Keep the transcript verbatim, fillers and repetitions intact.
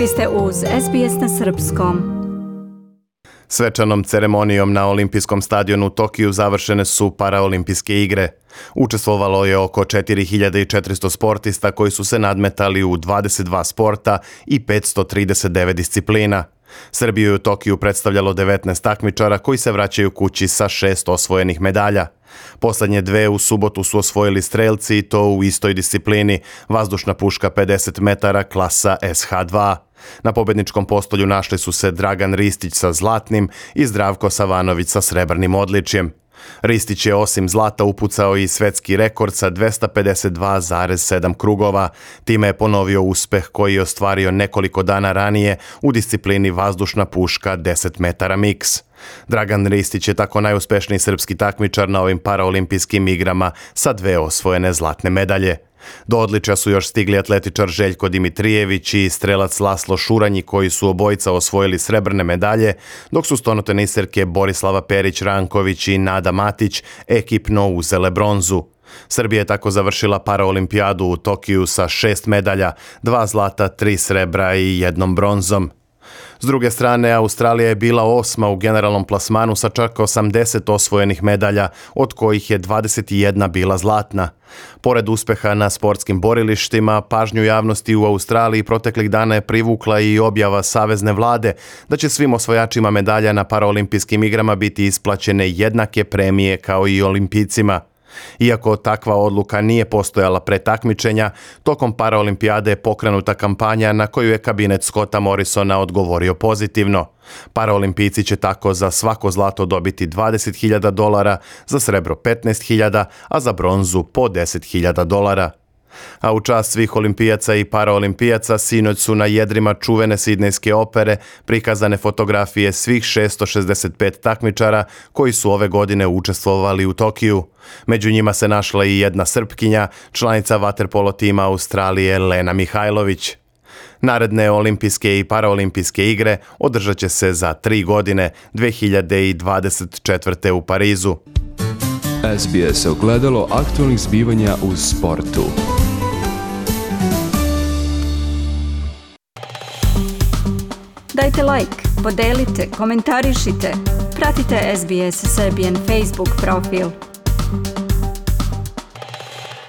Vi ste uz S B S na srpskom. Svečanom ceremonijom na olimpijskom stadionu u Tokiju završene su paraolimpijske igre. Učestvovalo je oko četiri hiljade četiristo sportista koji su se nadmetali u dvadeset dva sporta i petsto trideset devet disciplina. Srbiju je u Tokiju predstavljalo devetnaest takmičara koji se vraćaju kući sa šest osvojenih medalja. Poslednje dve u subotu su osvojili strelci i to u istoj disciplini, vazdušna puška pedeset metara klasa S H dva. Na pobedničkom postolju našli su se Dragan Ristić sa zlatnim i Zdravko Savanović sa srebrnim odličjem. Ristić je osim zlata upucao i svetski rekord sa dvesta pedeset dva zarez sedam krugova. Time je ponovio uspeh koji je ostvario nekoliko dana ranije u disciplini vazdušna puška deset metara miks. Dragan Ristić je tako najuspešniji srpski takmičar na ovim paraolimpijskim igrama sa dve osvojene zlatne medalje. Do odličja su još stigli atletičar Željko Dimitrijević i strelac Laslo Šuranji koji su obojica osvojili srebrne medalje, dok su stonoteniserke Borislava Perić-Ranković i Nada Matić ekipno uzele bronzu. Srbija je tako završila paraolimpijadu u Tokiju sa šest medalja, dva zlata, tri srebra i jednom bronzom. S druge strane, Australija je bila osma u generalnom plasmanu sa čak osamdeset osvojenih medalja, od kojih je dvadeset jedna bila zlatna. Pored uspeha na sportskim borilištima, pažnju javnosti u Australiji proteklih dana je privukla i objava Savezne vlade da će svim osvojačima medalja na paraolimpijskim igrama biti isplaćene jednake premije kao i olimpijcima. Iako takva odluka nije postojala pre takmičenja, tokom paraolimpijade je pokrenuta kampanja na koju je kabinet Scotta Morrisona odgovorio pozitivno. Paraolimpijci će tako za svako zlato dobiti dvadeset hiljada dolara, za srebro petnaest hiljada, a za bronzu po deset hiljada dolara. A u čast svih olimpijaca i paraolimpijaca sinoć su na jedrima čuvene sidnejske opere prikazane fotografije svih šesto šezdeset pet takmičara koji su ove godine učestvovali u Tokiju. Među njima se našla i jedna Srpkinja, članica vaterpolo tima Australije Lena Mihajlović. Naredne olimpijske i paraolimpijske igre održat će se za tri godine, dve hiljade dvadeset četvrte. u Parizu. S B S ogledalo aktualnih zbivanja u sportu. Dajte like, podelite, komentarišite. Pratite S B S Serbian Facebook profil.